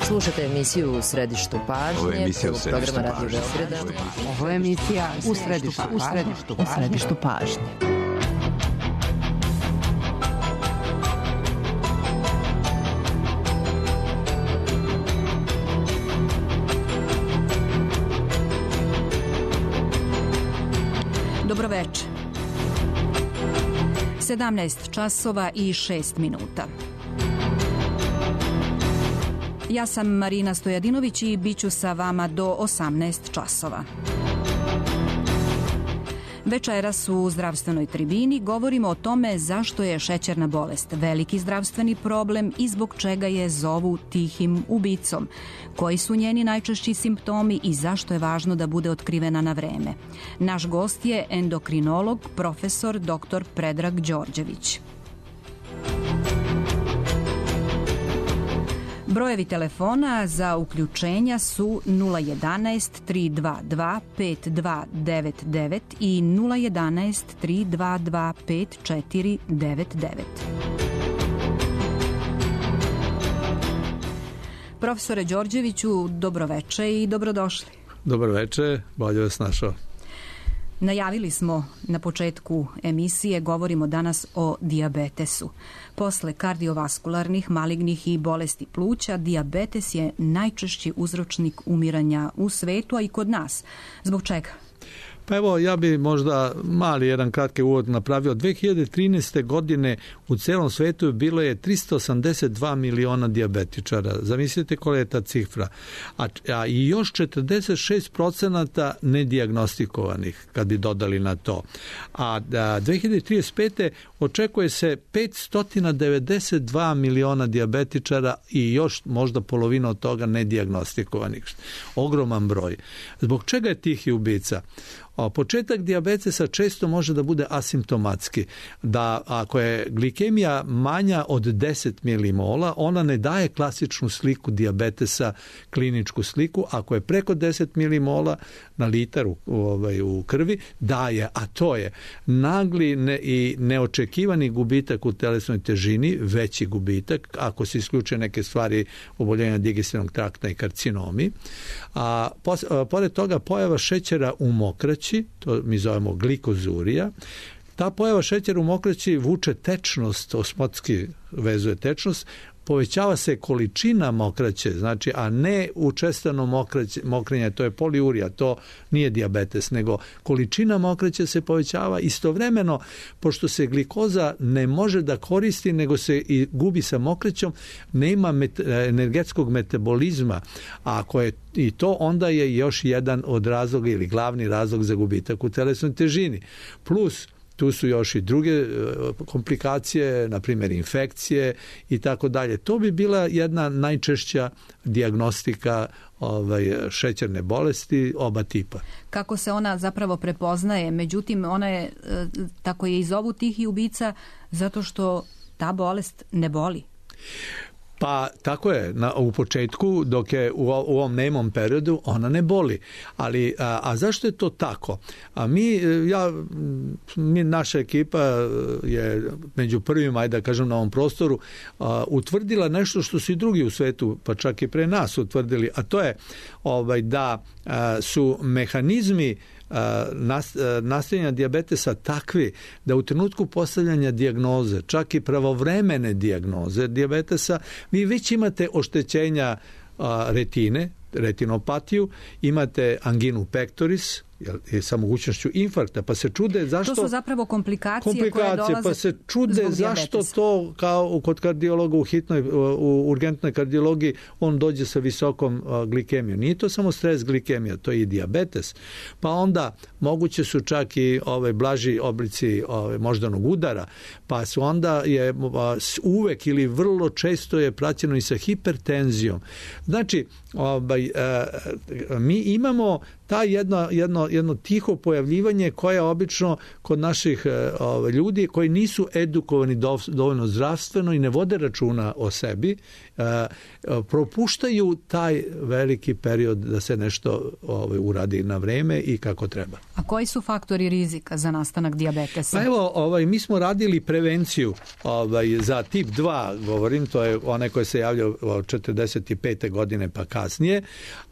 Slušate emisiju U središtu pažnje, programa Radio Beograda. Ovo je emisija U središtu pažnje. Dobro večer. 17 časova i 6 minuta. Ja sam Marina Stojadinović i bit ću sa vama do 18 časova. Večeras u zdravstvenoj tribini govorimo o tome zašto je šećerna bolest veliki zdravstveni problem i zbog čega je zovu tihim ubicom, koji su njeni najčešći simptomi i zašto je važno da bude otkrivena na vreme. Naš gost je endokrinolog, profesor dr. Predrag Đorđević. Brojevi telefona za uključenja su 011 322 5299 i 011 322 5499. Profesore Đorđeviću, dobroveče i dobrodošli. Dobroveče, bolje vas našao. Najavili smo na početku emisije, govorimo danas o dijabetesu. Posle kardiovaskularnih, malignih i bolesti pluća, dijabetes je najčešći uzročnik umiranja u svetu, a i kod nas. Zbog čega? Pa evo, ja bi možda mali jedan kratki uvod napravio. 2013. godine u celom svetu bilo je 382 miliona dijabetičara. Zamislite koja je ta cifra. A i još 46% nedijagnostikovanih, kad bi dodali na to. A 2035. očekuje se 592 miliona dijabetičara i još možda polovina od toga nedijagnostikovanih. Ogroman broj. Zbog čega je tihi ubica? Početak dijabetesa često može da bude asimptomatski, da ako je glikemija manja od 10 milimola, ona ne daje klasičnu sliku dijabetesa, kliničku sliku. Ako je preko 10 milimola na litar u krvi, daje, a to je nagli i neočekivani gubitak u telesnoj težini, veći gubitak, ako se isključe neke stvari oboljenja digestivnog trakta i karcinomi. Pored toga pojava šećera u mokraći, to mi zovemo glikozurija. Ta pojava šećera u mokraći vuče tečnost, osmotski vezuje tečnost, povećava se količina mokraće, znači, a ne učestano mokrenje, to je poliurija, to nije dijabetes, nego količina mokraće se povećava istovremeno, pošto se glikoza ne može da koristi, nego se i gubi sa mokraćom, nema energetskog metabolizma, a ako je i to, onda je još jedan od razloga ili glavni razlog za gubitak u telesnoj težini. Plus, tu su još i druge komplikacije, na primjer infekcije i tako dalje. To bi bila jedna najčešća dijagnostika šećerne bolesti oba tipa. Kako se ona zapravo prepoznaje? Međutim, ona je, tako je i zovu tihi ubica, zato što ta bolest ne boli. Pa tako je, u početku, dok je u ovom nemom periodu, ona ne boli. Ali, a zašto je to tako? Naša ekipa je među prvima, ajde da kažem, na ovom prostoru utvrdila nešto što su i drugi u svetu, pa čak i pre nas utvrdili, a to je da su mehanizmi nastajanja dijabetesa takvi da u trenutku postavljanja dijagnoze, čak i pravovremene dijagnoze dijabetesa, vi već imate oštećenja retine, retinopatiju, imate anginu pectoris, sa mogućnošću infarkta, pa se čude zašto... To su zapravo komplikacije koje dolaze pa se čude zašto to, kao kod kardiologa u urgentnoj kardiologiji, on dođe sa visokom glikemijom. Nije to samo stres glikemija, to je i dijabetes. Pa onda moguće su čak i blaži oblici moždanog udara, pa su onda je uvek ili vrlo često je praćeno i sa hipertenzijom. Znači, mi imamo ta jedno tiho pojavljivanje koje obično kod naših ljudi koji nisu edukovani dovoljno zdravstveno i ne vode računa o sebi, propuštaju taj veliki period da se nešto uradi na vreme i kako treba. A koji su faktori rizika za nastanak dijabetesa? Pa evo, mi smo radili prevenciju za tip 2, govorim, to je onaj koji se javlja od 45. godine pa kasnije,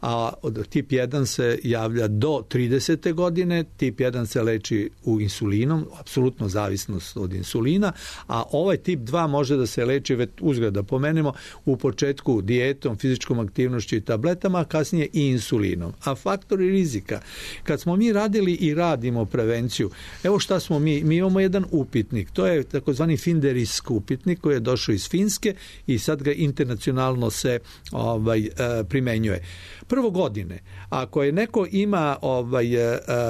a tip 1 se javlja do 30. godine, tip 1 se leči u insulinom, apsolutno zavisnost od insulina, a ovaj tip 2 može da se leči, već uzgled da pomenemo, u početku dijetom, fizičkom aktivnošću i tabletama, a kasnije i insulinom. A faktori rizika, kad smo mi radili i radimo prevenciju, evo šta smo mi imamo jedan upitnik, to je takozvani Finderisk upitnik koji je došao iz Finske i sad ga internacionalno se primenjuje. Prvo godine, ako je neko ima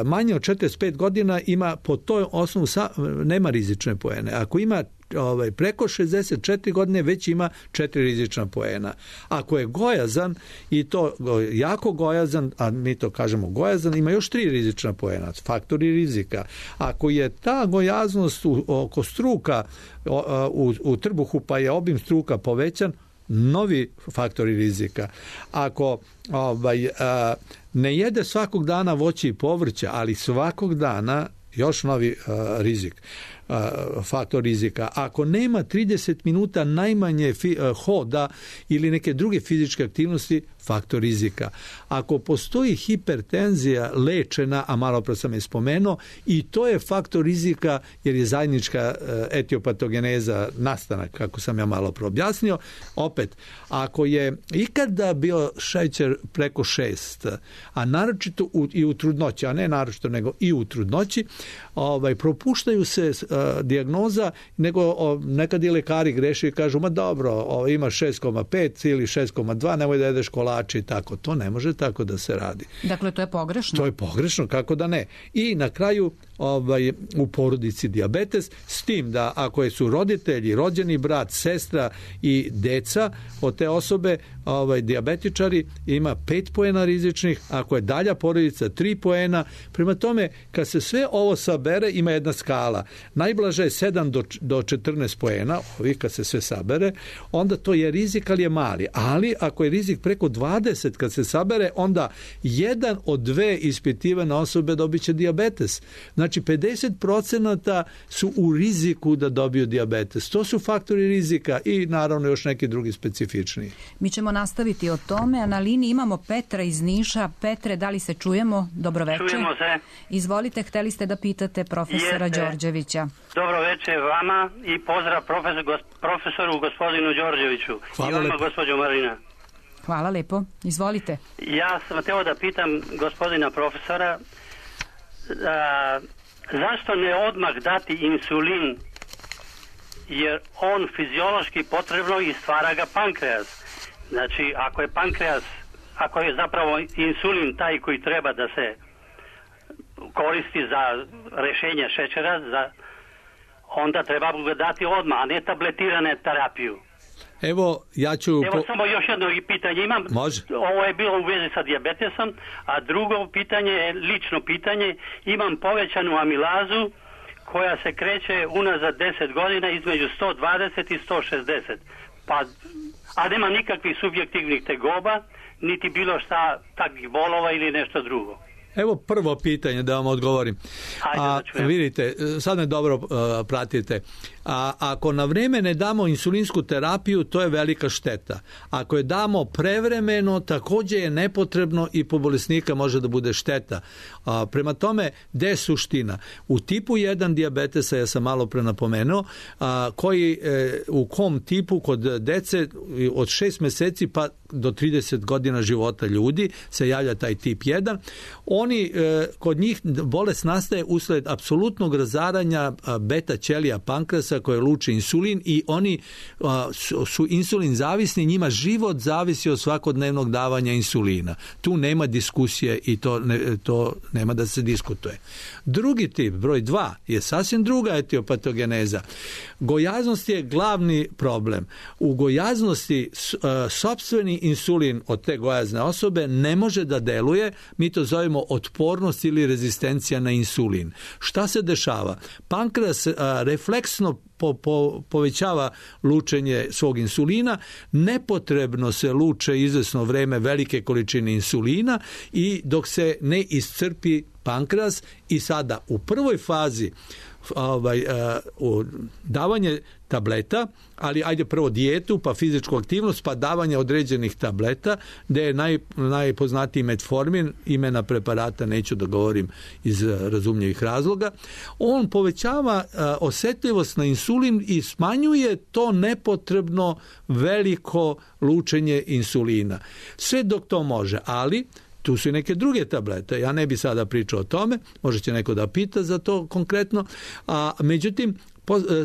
manje od 45 godina, ima po toj osnovu nema rizične poene. Ako ima preko 64 godine već ima 4 rizična poena. Ako je gojazan i to jako gojazan, a mi to kažemo gojazan, ima još 3 rizična poena, faktori rizika. Ako je ta gojaznost oko struka u trbuhu pa je obim struka povećan, novi faktori rizika. Ako ne jede svakog dana voće i povrća, ali svakog dana još novi rizik, faktor rizika. Ako nema 30 minuta najmanje hoda ili neke druge fizičke aktivnosti, faktor rizika. Ako postoji hipertenzija lečena, a malo pre sam je spomenuo, i to je faktor rizika jer je zajednička etiopatogeneza nastanak, kako sam ja malo pre objasnio. Opet, ako je ikada bio šećer preko 6, a naročito i u trudnoći, a ne naročito nego i u trudnoći, propuštaju se dijagnoza, nego nekad i lekari greše i kažu, ma dobro, ima 6,5 ili 6,2, nemoj da jedeš kolače i tako. To ne može tako da se radi. Dakle, to je pogrešno? To je pogrešno, kako da ne. I na kraju u porodici dijabetes, s tim da ako su roditelji, rođeni brat, sestra i deca od te osobe, dijabetičari, ima 5 poena rizičnih, ako je dalja porodica 3 poena. Prema tome, kad se sve ovo sabere, ima jedna skala. Najblaže je 7 do 14 poena, kad se sve sabere, onda to je rizik, ali je mali. Ali ako je rizik preko 20 kad se sabere, onda 1 od 2 ispitivane osobe dobit će dijabetes. Znači 50% su u riziku da dobiju dijabetes. To su faktori rizika i naravno još neki drugi specifični. Mi ćemo nastaviti o tome, a na liniji imamo Petra iz Niša. Petre, da li se čujemo? Dobro večer. Čujemo se. Izvolite, hteli ste da pitate profesora Đorđevića. Dobro večer vama i pozdrav profesoru gospodinu Đorđeviću. Hvala i vama, lepo. gospođo Marina. Hvala lepo. Izvolite. Ja sam htio da pitam gospodina profesora zašto ne odmah dati insulin, jer on fiziološki potrebno i stvara ga pankreas. Znači, ako je zapravo insulin taj koji treba da se koristi za rešenje šećera, onda treba ga dati odmah, a ne tabletirane terapiju. Evo samo još jedno pitanje imam. Može. Ovo je bilo u vezi sa dijabetesom, a drugo pitanje je lično pitanje. Imam povećanu amilazu koja se kreće unazad 10 godina između 120 i 160. A nema nikakvih subjektivnih tegoba, niti bilo šta takvih bolova ili nešto drugo. Evo prvo pitanje da vam odgovorim. Vidite, sad me dobro pratite. Ako na vrijeme ne damo insulinsku terapiju, to je velika šteta. Ako je damo prevremeno, također je nepotrebno i po bolesnika može da bude šteta. Prema tome, gde je suština? U tipu 1 dijabetesa, ja sam malo pre napomenuo, u kom tipu kod dece od 6 meseci pa do 30 godina života ljudi se javlja taj tip 1. Kod njih bolest nastaje usled apsolutnog razaranja beta ćelija pankrasa pankreasa koje luče insulin i oni su insulin zavisni, njima život zavisi od svakodnevnog davanja insulina. Tu nema diskusije i to nema da se diskutuje. Drugi tip, broj 2, je sasvim druga etiopatogeneza. Gojaznost je glavni problem. U gojaznosti sopstveni insulin od te gojazne osobe ne može da deluje, mi to zovemo otpornost ili rezistencija na insulin. Šta se dešava? Pankreas refleksno povećava lučenje svog insulina, nepotrebno se luče izvesno vreme velike količine insulina i dok se ne iscrpi pankreas i sada u prvoj fazi davanje tableta, ali ajde prvo dijetu, pa fizičku aktivnost, pa davanje određenih tableta, gdje je najpoznatiji metformin, imena preparata neću da govorim iz razumljivih razloga. On povećava osjetljivost na insulin i smanjuje to nepotrebno veliko lučenje insulina. Sve dok to može, ali tu su i neke druge tablete. Ja ne bi sada pričao o tome, možda će neko da pita za to konkretno, međutim,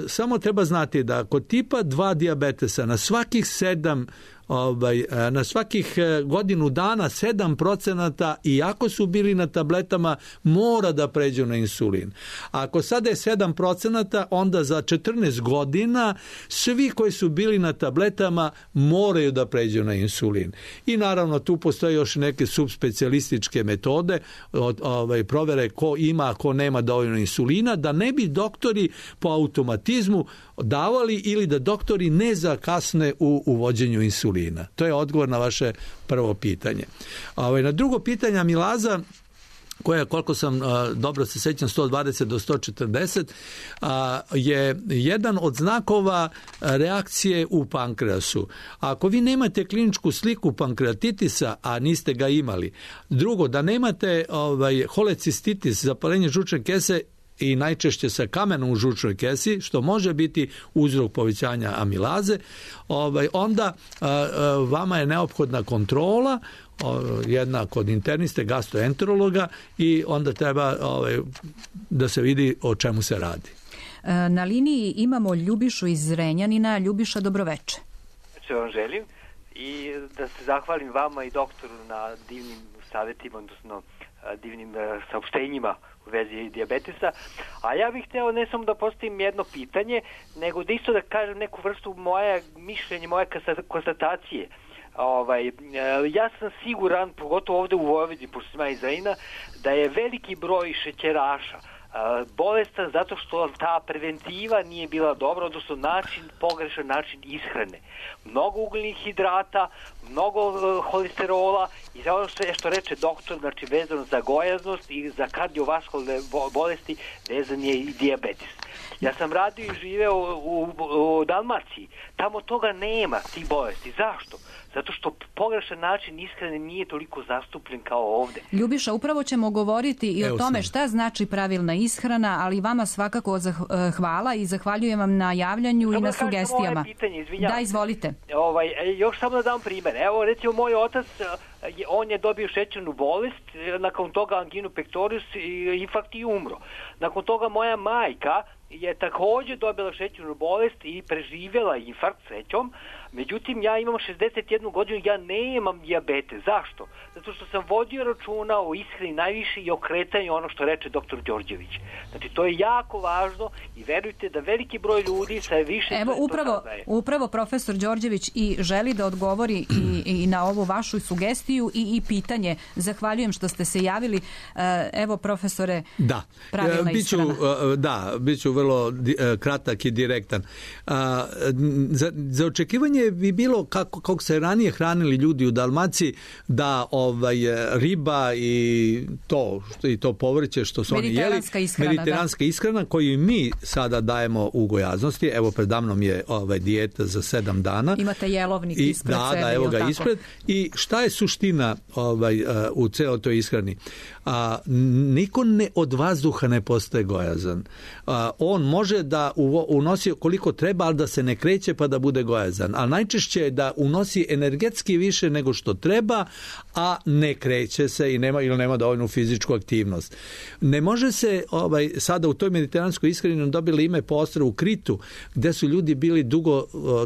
samo treba znati da kod tipa 2 dijabetesa na svakih godinu dana 7%, iako su bili na tabletama, mora da pređu na insulin. Ako sada je 7%, onda za 14 godina svi koji su bili na tabletama moraju da pređu na insulin. I naravno tu postoje još neke subspecijalističke metode provere ko ima, ko nema dovoljno insulina, da ne bi doktori po automatizmu davali ili da doktori ne zakasne u uvođenju insulina. To je odgovor na vaše prvo pitanje. Na drugo pitanje amilaza, koja, koliko sam dobro se sećam, 120 do 140, je jedan od znakova reakcije u pankreasu. Ako vi nemate kliničku sliku pankreatitisa, a niste ga imali, drugo, da nemate holecistitis, zapalenje žučne kese, i najčešće sa kamenom u žučnoj kesi, što može biti uzrok povećanja amilaze, onda vama je neophodna kontrola, jedna kod interniste, gastroenterologa, i onda treba da se vidi o čemu se radi. Na liniji imamo Ljubišu iz Zrenjanina. Ljubiša, dobroveče. Što vam želim i da se zahvalim vama i doktoru na divnim savjetima, odnosno divnim saopštenjima u vezi dijabetesa, a ja bih hteo ne samo da postavim jedno pitanje, nego da isto da kažem neku vrstu moje mišljenje, moje konstatacije. Ja sam siguran, pogotovo ovde u Vojvodini, pošto sam iz Zrenjanina, da je veliki broj šećeraša bolestan zato što ta preventiva nije bila dobra, odnosno pogrešan način ishrane. Mnogo ugljenih hidrata, mnogo holesterola i ono što reče doktor, znači vezano za gojaznost i za kardiovaskularne bolesti, vezan je i dijabetes. Ja sam radio i živeo u Dalmaciji. Tamo toga nema, tih bolesti. Zašto? Zato što pogrešan način ishrane nije toliko zastupljen kao ovde. Ljubiša, upravo ćemo govoriti i o tome šta znači pravilna ishrana, ali vama svakako hvala i zahvaljujem vam na javljanju i na sugestijama. Da, izvolite. Još samo da dam primjer. Evo, recimo, moj otac, on je dobio šećernu bolest, nakon toga anginu pectoris, infarkt i umro. Nakon toga moja majka je također dobila šećernu bolest i preživjela infarkt, srećom. Međutim, ja imam 61 godinu, ja nemam dijabetes. Zašto? Zato što sam vodio računa o ishrani najviše i o kretanju, ono što reče doktor Đorđević. Znači, to je jako važno i verujte da veliki broj ljudi sa više... Evo, upravo profesor Đorđević i želi da odgovori i na ovu vašu sugestiju i pitanje. Zahvaljujem što ste se javili. Evo, profesore, pravilna ishrana. Bit ću vrlo kratak i direktan. Za očekivanje bi bilo kako se ranije hranili ljudi u Dalmaciji, da riba i to povrće što su oni jeli, mediteranska ishrana koju mi sada dajemo u gojaznosti. Evo, predamnom je dijeta za 7 dana. Imate jelovnik ispred sebe. Da, evo ga ispred. I šta je suština u celoj toj ishrani? Niko od vazduha ne postaje gojazan. on može da unosi koliko treba, ali da se ne kreće pa da bude gojazan. A najčešće je da unosi energetski više nego što treba, a ne kreće se ili nema dovoljnu fizičku aktivnost. Ne može se, sada u toj mediteranskoj ishrani dobili ime po ostrvu Kritu, gde su ljudi bili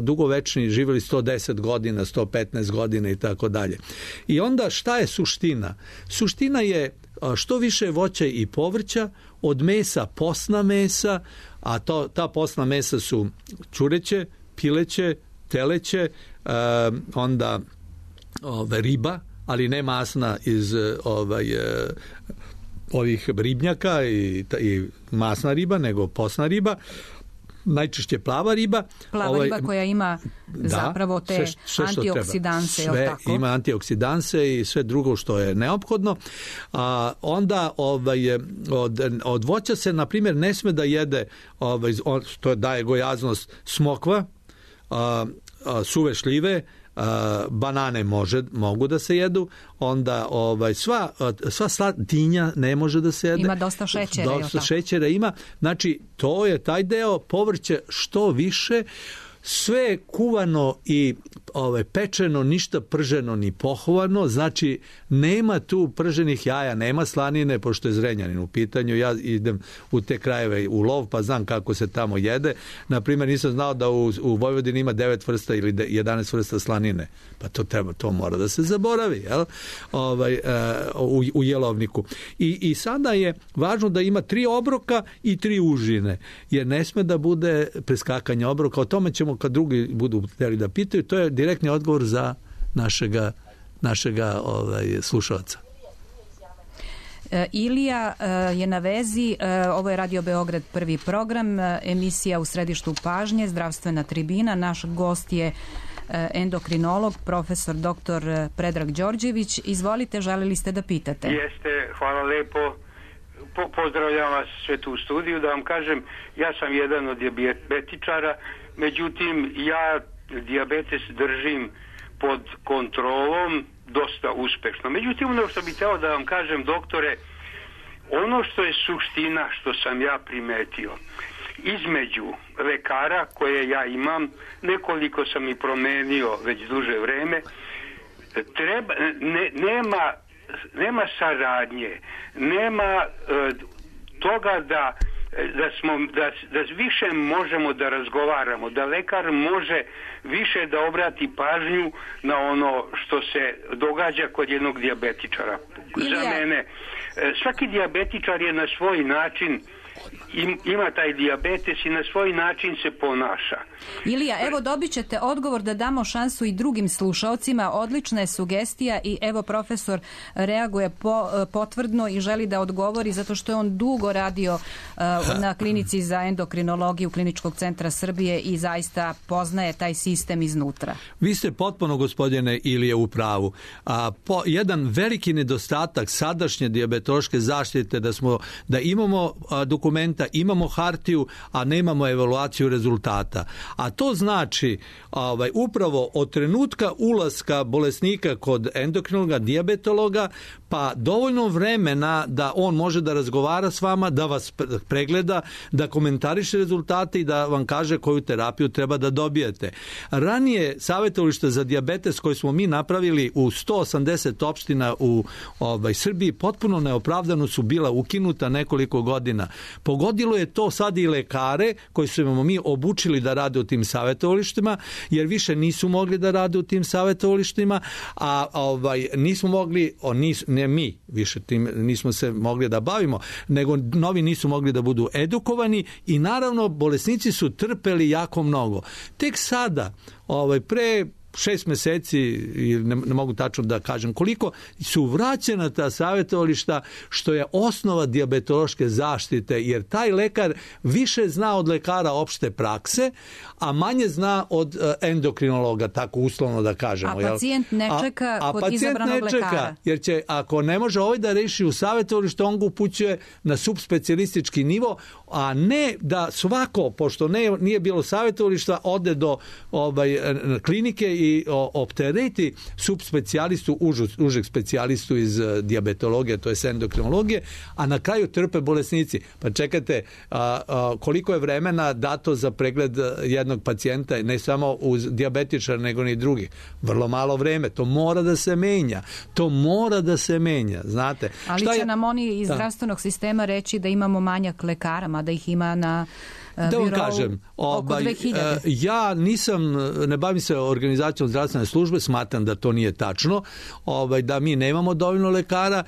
dugovečni, živjeli 110 godina, 115 godina i tako dalje. I onda šta je suština? Suština je što više voća i povrća, od mesa posna mesa, a ta posna mesa su ćureće, pileće, teleće, onda riba, ali ne masna iz ovih ribnjaka i masna riba, nego posna riba, najčešće plava riba. Plava riba koja ima zapravo te antioksidanse. Sve ima antioksidanse i sve drugo što je neophodno. Onda od voća se, na primjer, ne sme da jede, to daje gojaznost, smokva, suve šljive, banane mogu da se jedu, onda sva dinja ne može da se jede. Ima dosta šećera. Dosta šećera ima. Znači, to je taj deo, povrće što više, sve kuvano i pečeno, ništa prženo ni pohovano, znači nema tu prženih jaja, nema slanine, pošto je Zrenjanin u pitanju. Ja idem u te krajeve u lov, pa znam kako se tamo jede. Naprimjer, nisam znao da u Vojvodini ima 9 vrsta ili 11 vrsta slanine. Pa to mora da se zaboravi, jel? U jelovniku. I sada je važno da ima 3 obroka i 3 užine, jer ne sme da bude preskakanje obroka. O tome ćemo kad drugi budu htjeli da pitaju. To je direktni odgovor za našega slušalca. Ilija je na vezi, ovo je Radio Beograd prvi program, emisija U središtu pažnje, zdravstvena tribina. Naš gost je endokrinolog, profesor dr. Predrag Đorđević. Izvolite, želeli ste da pitate. Jeste, hvala lepo. Pozdravljam vas sve tu u studiju. Da vam kažem, ja sam jedan od dijabetičara, međutim, ja dijabetes držim pod kontrolom dosta uspešno. Međutim, ono što bih hteo da vam kažem, doktore, ono što je suština, što sam ja primetio, između lekara koje ja imam, nekoliko sam i promenio već duže vreme, nema saradnje, nema toga da više možemo da razgovaramo, da lekar može više da obrati pažnju na ono što se događa kod jednog dijabetičara. Za mene, svaki dijabetičar je na svoj način, ima taj dijabetes i na svoj način se ponaša. Ilija, evo dobit ćete odgovor, da damo šansu i drugim slušaocima. Odlična je sugestija i evo profesor reaguje potvrdno i želi da odgovori zato što je on dugo radio na klinici za endokrinologiju Kliničkog centra Srbije i zaista poznaje taj sistem iznutra. Vi ste potpuno, gospodine Ilije, u pravu. Jedan veliki nedostatak sadašnje dijabetološke zaštite da imamo dokumenta, imamo hartiju, a nemamo evaluaciju rezultata. A to znači upravo od trenutka ulaska bolesnika kod endokrinologa, dijabetologa, pa dovoljno vremena da on može da razgovara s vama, da vas pregleda, da komentariše rezultate i da vam kaže koju terapiju treba da dobijete. Ranije savjetovališta za dijabetes koje smo mi napravili u 180 opština u Srbiji potpuno neopravdano su bila ukinuta nekoliko godina. Pogodilo je to sad i lekare koji su mi obučili da rade u tim savjetovalištima, jer više nisu mogli da rade u tim savjetovalištima, a nismo mogli, ne mi više tim nismo se mogli da bavimo, nego novi nisu mogli da budu edukovani i naravno bolesnici su trpeli jako mnogo. Tek sada, pre 6 meseci, ne mogu tačno da kažem koliko, su vraćena ta savjetovališta, što je osnova dijabetološke zaštite, jer taj lekar više zna od lekara opšte prakse, a manje zna od endokrinologa, tako uslovno da kažemo. A pacijent ne čeka kod izabranog lekara. Jer će, ako ne može da reši u savjetovalištu, on ga upućuje na subspecijalistički nivo, a ne da svako, pošto nije bilo savjetovališta, ode do klinike i optereti subspecijalistu, užeg specijalistu iz dijabetologije, to je endokrinologije, a na kraju trpe bolesnici. Pa čekajte, koliko je vremena dato za pregled jednog pacijenta, ne samo uz dijabetičara, nego ni drugih. Vrlo malo vreme. To mora da se menja. Znate. Ali će nam oni iz zdravstvenog sistema reći da imamo manjak lekara, mada ih ima na da vam kažem, ja ne bavim se organizacijom zdravstvene službe, smatram da to nije tačno, da mi nemamo dovoljno lekara.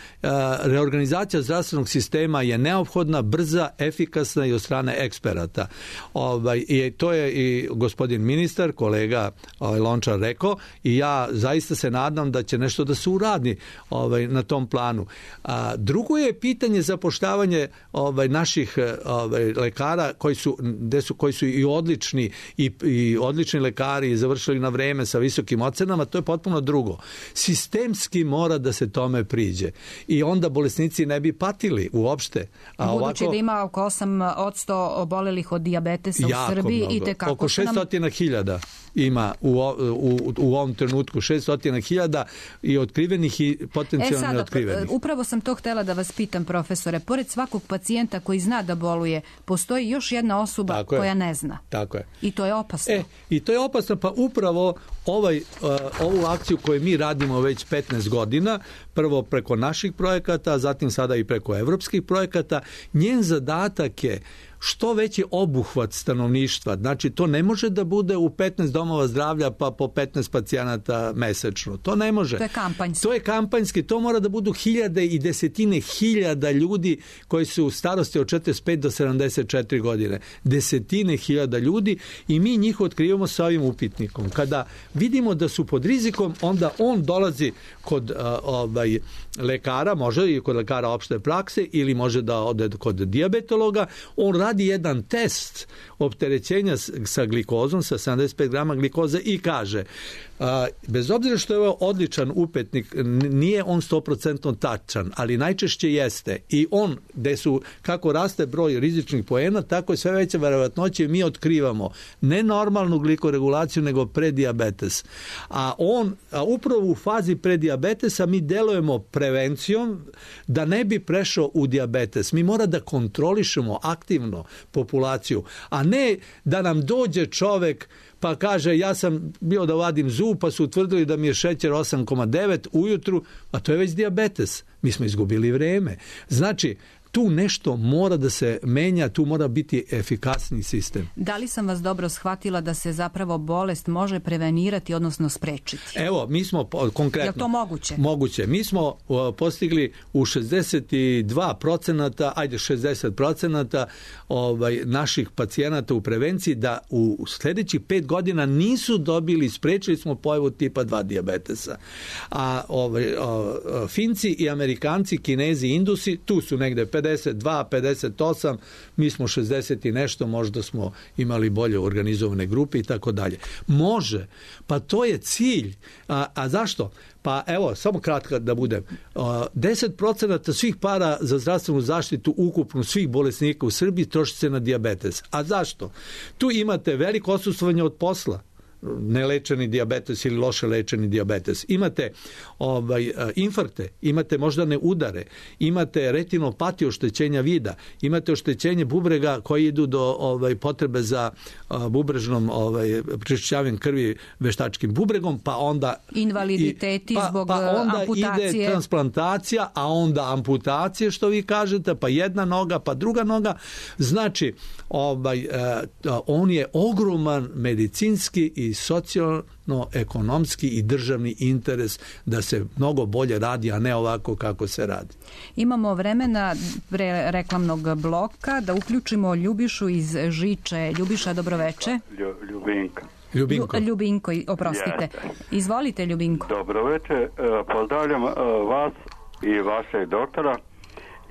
Reorganizacija zdravstvenog sistema je neophodna, brza, efikasna i od strane eksperata. I to je i gospodin ministar, kolega Lončar rekao, i ja zaista se nadam da će nešto da se uradi na tom planu. Drugo je pitanje zapošljavanje naših lekara koji su i odlični i odlični lekari i završili na vreme sa visokim ocenama, to je potpuno drugo. Sistemski mora da se tome priđe i onda bolesnici ne bi patili uopšte. Budući da ima oko 8% obolelih od dijabetesa u Srbiji i tekako oko 600.000 ima u ovom trenutku 600.000 i otkrivenih i potencijalno neotkrivenih. Upravo sam to htjela da vas pitam, profesore. Pored svakog pacijenta koji zna da boluje, postoji još jedna osoba koja ne zna. Tako je. I to je opasno. I to je opasno, pa upravo ovu akciju koju mi radimo već 15 godina, prvo preko naših projekata, a zatim sada i preko evropskih projekata, njen zadatak je što veći obuhvat stanovništva. Znači, to ne može da bude u 15 domova zdravlja pa po 15 pacijenata mesečno. To ne može. To je kampanjski. To je kampanjski. To mora da budu hiljade i desetine hiljada ljudi koji su u starosti od 45 do 74 godine. Desetine hiljada ljudi i mi njih otkrivamo sa ovim upitnikom. Kada vidimo da su pod rizikom, onda on dolazi kod lekara, može i kod lekara opšte prakse ili može da ode kod dijabetologa. On radi jedan test opterećenja sa glikozom, sa 75 grama glikoze i kaže, bez obzira što je ovo odličan upitnik, nije on 100% tačan, ali najčešće jeste. I on, gde su, kako raste broj rizičnih poena, tako je sve veća verovatnoća mi otkrivamo ne normalnu glikoregulaciju, nego predijabetes. A upravo u fazi predijabetesa mi delujemo prevencijom da ne bi prešao u dijabetes. Mi mora da kontrolišemo aktivno populaciju, a ne da nam dođe čovek pa kaže ja sam bio da vadim zub pa su utvrdili da mi je šećer 8,9 ujutru, a to je već dijabetes. Mi smo izgubili vreme. Znači, tu nešto mora da se menja, tu mora biti efikasni sistem. Da li sam vas dobro shvatila da se zapravo bolest može prevenirati, odnosno sprečiti? Evo, mi smo konkretno... Je li to moguće? Moguće. Mi smo postigli u 62%, ajde 60% naših pacijenata u prevenciji da u sljedećih 5 godina nisu dobili, sprečili smo pojavu tipa 2 dijabetesa. A Finci i Amerikanci, Kinezi, Indusi, tu su negde 52, 58, mi smo 60 i nešto, možda smo imali bolje organizovane grupe i tako dalje. Može, pa to je cilj. A zašto? Pa evo, samo kratko da budem. 10% svih para za zdravstvenu zaštitu ukupno svih bolesnika u Srbiji troši se na dijabetes. A zašto? Tu imate veliko odsustvovanje od posla, nelečeni dijabetes ili loše lečeni dijabetes. Imate infarkte, imate moždane udare, imate retinopatiju, oštećenja vida, imate oštećenje bubrega koji idu do potrebe za bubrežnom prečišćavanjem krvi veštačkim bubregom, pa onda invaliditeti zbog onda amputacije. Ide transplantacija, a onda amputacije, što vi kažete, pa jedna noga, pa druga noga. Znači, on je ogroman medicinski i socijalno-ekonomski i državni interes da se mnogo bolje radi, a ne ovako kako se radi. Imamo vremena pre reklamnog bloka da uključimo Ljubišu iz Žiče. Ljubiša, dobroveče. Ljubinko, oprostite. Izvolite, Ljubinko. Dobroveče, pozdravljam vas i vašeg doktora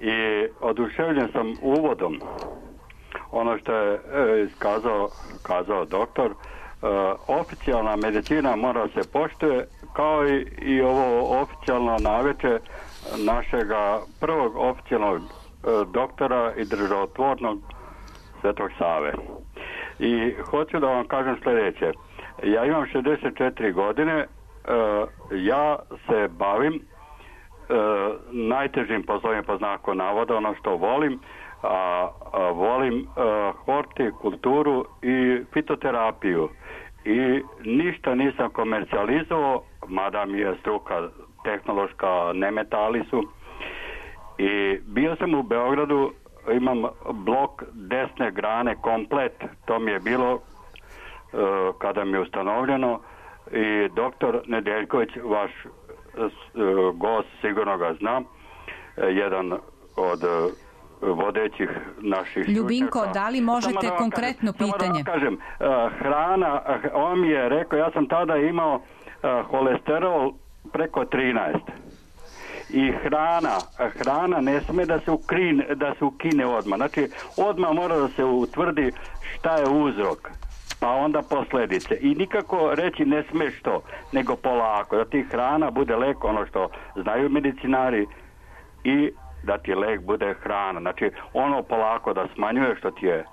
i oduševljen sam uvodom. Ono što je kazao doktor, oficijalna medicina mora se poštuje, kao i ovo oficijalno naveče našega prvog oficijalnog doktora i državotvornog Svetog Save. I hoću da vam kažem sljedeće. Ja imam 64 godine, ja se bavim najtežim poslovima po znaku navoda, ono što volim, volim hortikulturu i fitoterapiju. I ništa nisam komercijalizovao, mada mi je struka tehnološka, ne metali su. I bio sam u Beogradu, imam blok desne grane komplet, to mi je bilo kada mi je ustanovljeno, i doktor Nedeljković, vaš gost, sigurno ga znam, jedan od vodećih naših Ljubinko, stručnjaka. da li možete konkretno pitanje? Samo da kažem, hrana, on mi je rekao, ja sam imao holesterol preko 13. I hrana ne sme da se ukine odmah. Znači, odmah mora da se utvrdi šta je uzrok, pa onda posljedice. I nikako reći ne smeš to, nego polako. Da ti hrana bude lek, ono što znaju medicinari, i da ti lek bude hrana. Znači, ono polako da smanjuje što ti je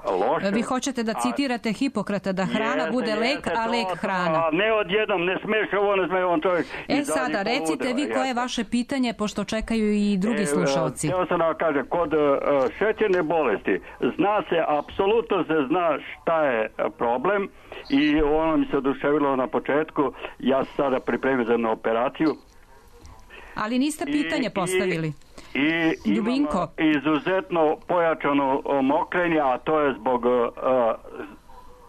loše. Vi hoćete da citirate Hipokrata, da hrana bude lek, a lek hrana. Ne odjednom, ne smeš ovo, ne smeš on čovjek. Sada, recite vi koje je vaše pitanje, pošto čekaju i drugi slušalci. Evo sam da kažem, kod šećerne bolesti apsolutno se zna šta je problem, i ono mi se oduševilo na početku. Ja sam sada pripremio za jednu operaciju. Ali niste pitanje postavili. I Ljubinko, imam izuzetno pojačano mokrenje, a to je zbog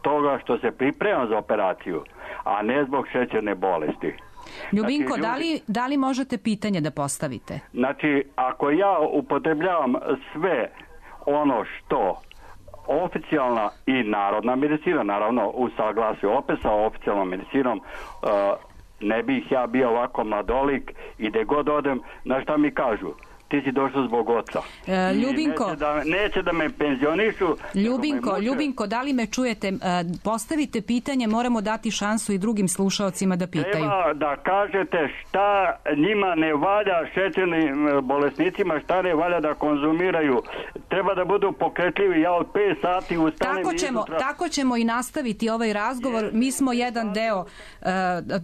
toga što se pripremam za operaciju, a ne zbog šećerne bolesti. Ljubinko, znači, da li možete pitanje da postavite? Znači, ako ja upotrebljavam sve ono što oficijalna i narodna medicina, naravno u saglasju opet sa oficijalnom medicinom, ne bih ja bio ovako mladolik i gde god odem, na šta mi kažu? Ti si došao zbog oca. Ljubinko, neće da me penzionišu. Ljubinko, da li me čujete? Postavite pitanje, moramo dati šansu i drugim slušaocima da pitaju. Treba da kažete šta njima ne valja, šećernim bolesnicima, šta ne valja da konzumiraju. Treba da budu pokretljivi. Ja od 5 sati ustanem. Tako ćemo i nastaviti ovaj razgovor. Mi smo jedan deo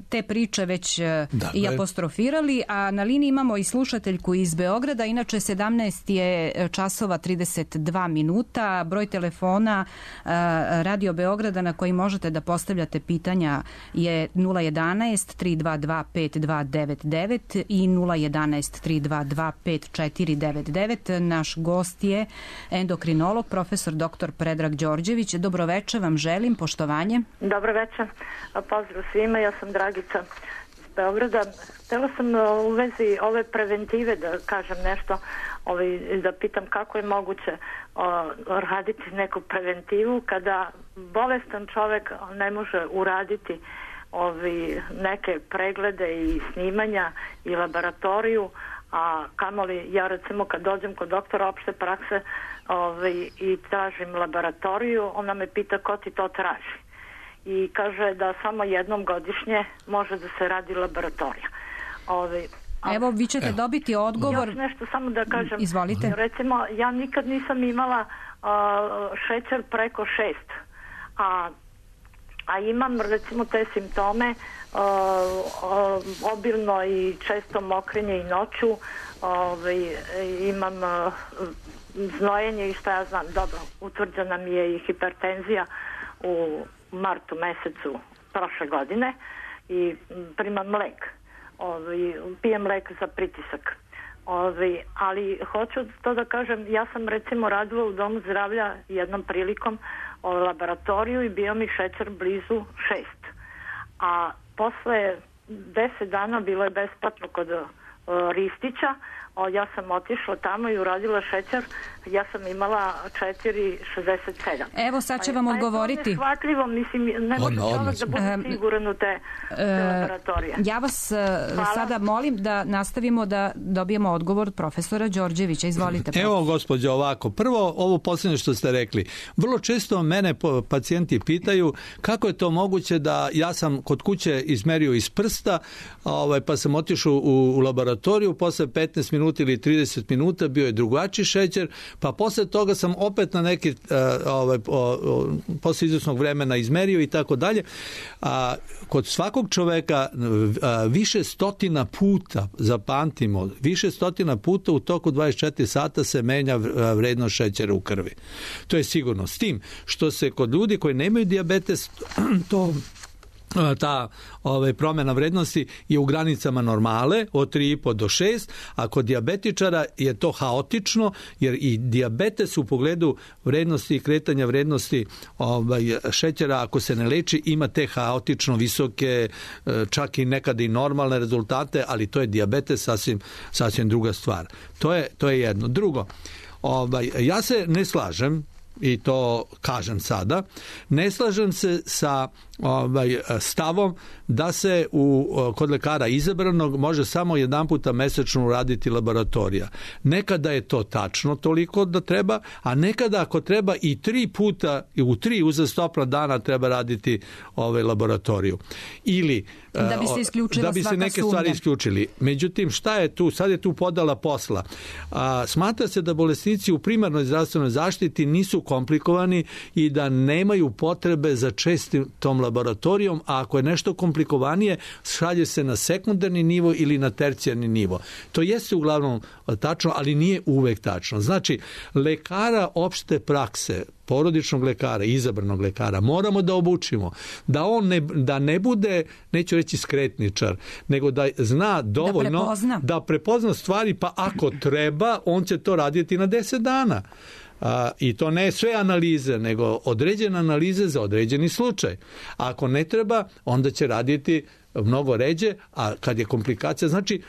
te priče već i apostrofirali, a na liniji imamo i slušateljku iz Beograda. Inače 17 je časova 32 minuta. Broj telefona Radio Beograda na koji možete da postavljate pitanja je 011 322 5299 i 011 322 5499. Naš gost je endokrinolog, profesor dr. Predrag Đorđević. Dobroveče vam želim, poštovanje. Dobroveče, pozdrav svima, ja sam Dragica iz Beograda. Htjela sam u vezi ove preventive da kažem nešto, da pitam kako je moguće raditi neku preventivu kada bolestan čovjek ne može uraditi neke preglede i snimanja i laboratoriju, a kamoli ja recimo kad dođem kod doktora opšte prakse i tražim laboratoriju, ona me pita ko ti to traži. I kaže da samo jednom godišnje može da se radi laboratorija. Evo, vi ćete dobiti odgovor. Još nešto samo da kažem. Izvolite. Recimo, ja nikad nisam imala šećer preko 6, a imam recimo te simptome, obilno i često mokrenje i noću, imam znojenje i šta ja znam. Dobro, utvrđena mi je i hipertenzija u martu mesecu prošle godine i primam lek. Pijem lek za pritisak. Ali hoću to da kažem, ja sam recimo radila u domu zdravlja jednom prilikom laboratoriju i bio mi šećer blizu 6. A posle 10 dana bilo je besplatno kod Ristića. Ja sam otišla tamo i uradila šećer. Ja sam imala 4,67. Evo sad će vam odgovoriti. To je neshvatljivo, mislim, ne može čovjek da bude siguran u te laboratorije. Ja vas sada molim da nastavimo da dobijemo odgovor od profesora Đorđevića. Izvolite. Evo, gospođo, ovako. Prvo, ovo posljednje što ste rekli. Vrlo često mene pacijenti pitaju kako je to moguće da ja sam kod kuće izmerio iz prsta, pa sam otišao u laboratoriju, posle 15 minuta minuta ili 30 minuta bio je drugačiji šećer, pa posle toga sam opet na neki posle izvesnog vremena izmerio i tako dalje. Kod svakog čoveka više stotina puta, zapamtimo, više stotina puta u toku 24 sata se menja vrednost šećera u krvi. To je sigurno. S tim što se kod ljudi koji nemaju dijabetes ta promjena vrednosti je u granicama normale od 3,5 do 6, a kod dijabetičara je to haotično, jer i dijabetes u pogledu vrednosti i kretanja vrednosti šećera, ako se ne leči, ima te haotično visoke, čak i nekada i normalne rezultate, ali to je dijabetes sasvim druga stvar. To je jedno. Drugo, ja se ne slažem, i to kažem sada, ne slažem se sa stavom da se kod lekara izabranog može samo jedan puta mesečno uraditi laboratorija. Nekada je to tačno toliko da treba, a nekada ako treba i 3 puta, u 3 uzastopna dana treba raditi laboratoriju. Ili da bi se neke stvari isključili. Međutim, šta je tu? Sad je tu podala posla. Smatra se da bolesnici u primarnoj zdravstvenoj zaštiti nisu komplikovani i da nemaju potrebe za čestom laboratorijom, a ako je nešto komplikovanije, šalje se na sekundarni nivo ili na tercijarni nivo. To jeste uglavnom tačno, ali nije uvek tačno. Znači, lekara opšte prakse, porodičnog lekara, izabranog lekara, moramo da obučimo, da ne bude, neću reći skretničar, nego da zna dovoljno da prepozna stvari, pa ako treba, on će to raditi na 10 dana. I to ne sve analize, nego određene analize za određeni slučaj. A ako ne treba, onda će raditi mnogo ređe, a kad je komplikacija, znači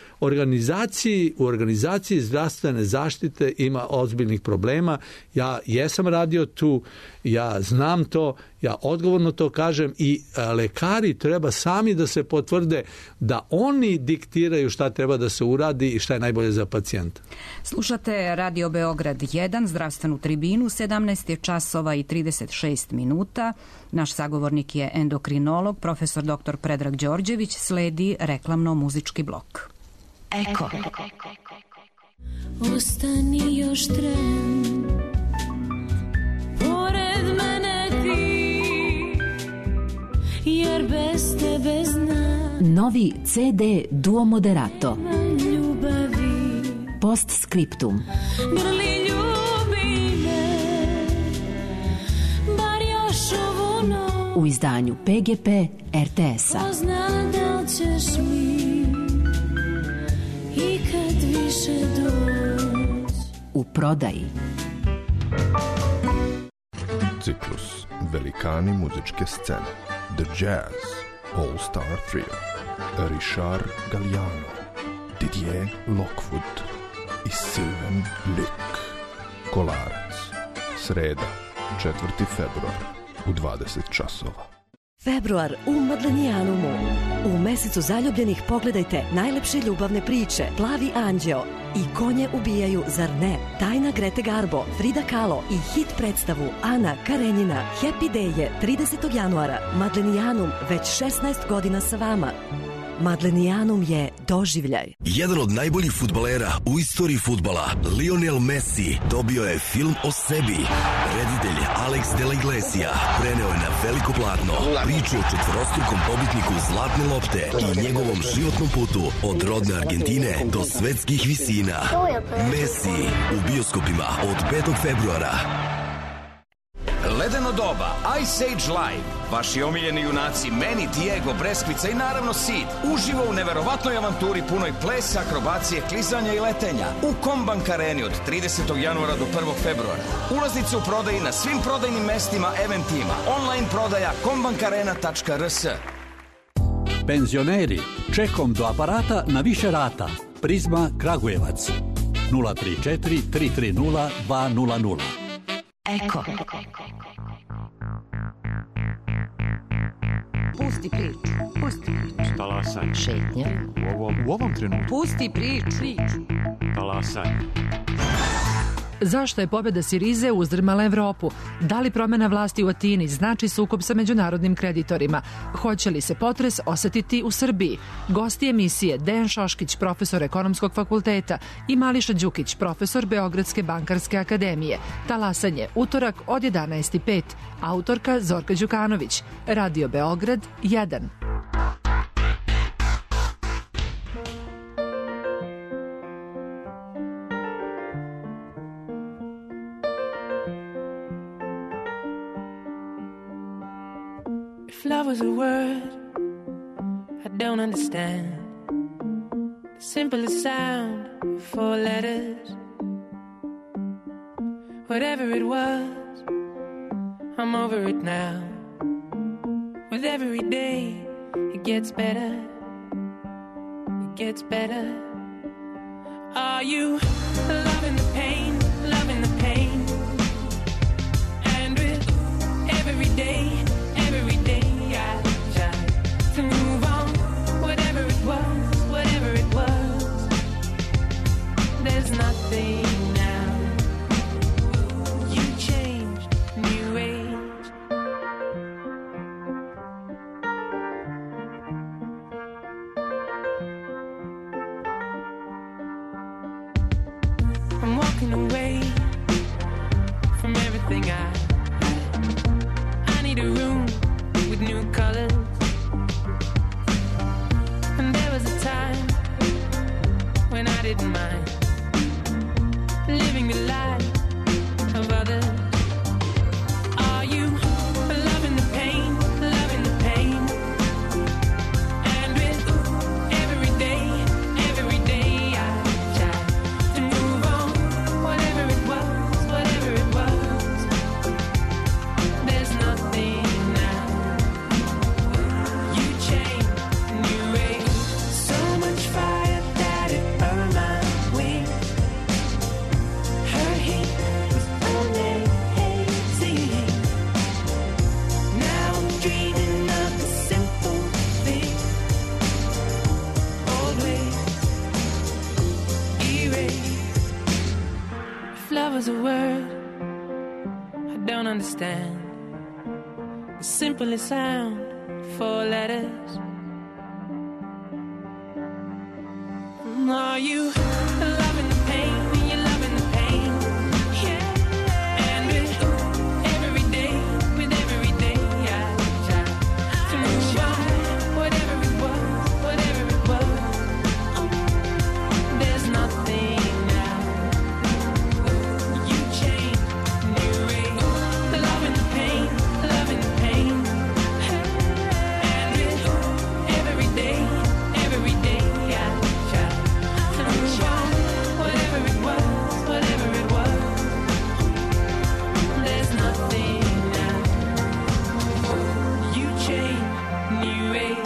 u organizaciji zdravstvene zaštite ima ozbiljnih problema. Ja jesam radio tu, ja znam to, ja odgovorno to kažem i lekari treba sami da se potvrde da oni diktiraju šta treba da se uradi i šta je najbolje za pacijenta. Slušate Radio Beograd 1, zdravstvenu tribinu, 17 je časova i 36 minuta. Naš sagovornik je endokrinolog, profesor dr. Predrag Đorđević, sledi reklamno-muzički blok. Eko. Ostani još tren, pored mene ti, jer bez tebe znam. Novi CD Duo Moderato. Postscriptum. Grli ljubi me, bar još ovu noć. U izdanju PGP RTS-a. Pozna da ćeš mi i kad više doći. U prodaji. Ciklus Velikani muzičke scene, The Jazz All Star Trio, Richard Galliano, Didier Lockwood i Sylvain Luc. Kolarac, sreda, 4. februar u 20 časova. Februar u Madlenijanumu. U mesecu zaljubljenih pogledajte najlepše ljubavne priče Plavi anđeo i Konje ubijaju, zar ne? Tajna Grete Garbo, Frida Kahlo i hit predstavu Ana Karenjina. Happy Day je 30. januara. Madlenijanum već 16 godina sa vama. Madlenijanum je doživljaj. Jedan od najboljih fudbalera u istoriji fudbala, Lionel Messi, dobio je film o sebi. Reditelj Alex de la Iglesia preneo je na veliko platno priču o četvorostrukom pobitniku Zlatne lopte i njegovom životnom putu od rodne Argentine do svetskih visina. Messi u bioskopima od 5. februara. Ledeno doba, Ice Age Live, vaši omiljeni junaci Manny, Diego, Breskvica i naravno Sid, uživo u neverovatnoj avanturi punoj plesa, akrobacije, klizanja i letenja u Kombank Areni od 30. januara do 1. februara. Ulaznice u prodaji na svim prodajnim mestima Eventima. Online prodaja kombankarena.rs. Penzioneri, čekom do aparata na više rata. Prizma Kragujevac 034 330 200. Eko. Pusti priču. Talasaj. Šetnja. U ovom trenutku. Pusti priču. Talasaj. Zašto je pobjeda Sirize uzdrmala Evropu? Da li promjena vlasti u Atini znači sukob sa međunarodnim kreditorima? Hoće li se potres osetiti u Srbiji? Gosti emisije Dejan Šoškić, profesor Ekonomskog fakulteta, i Mališa Đukić, profesor Beogradske bankarske akademije. Talasanje, utorak od 11:05. Autorka Zorka Đukanović. Radio Beograd 1. If love was a word I don't understand, the simplest sound, 4 letters. Whatever it was, I'm over it now. With every day, it gets better. It gets better. Are you loving the pain, loving the pain? And with every day I try to move on. Whatever it was, there's nothing now. You changed, new age. I'm walking away from everything I need a room with new colors. And there was a time when I didn't mind living the life of others. Are you loving the pain, loving the pain? And with every day I try to move on. Whatever it was, there's nothing now. You changed, new age. So much fire that it burned my wings. Her heat was amazing. Now I'm dreaming of the simple thing. Old ways erased. If love was a word I don't understand, the simplest sound, 4 letters. Are you loving the pain? You're loving the pain, yeah. And with every day I try to move on. Whatever it was, there's nothing now. You change, new age. Loving the pain, loving the pain. And with every day I try to move on. Whatever it was, there's nothing now. You change, new age.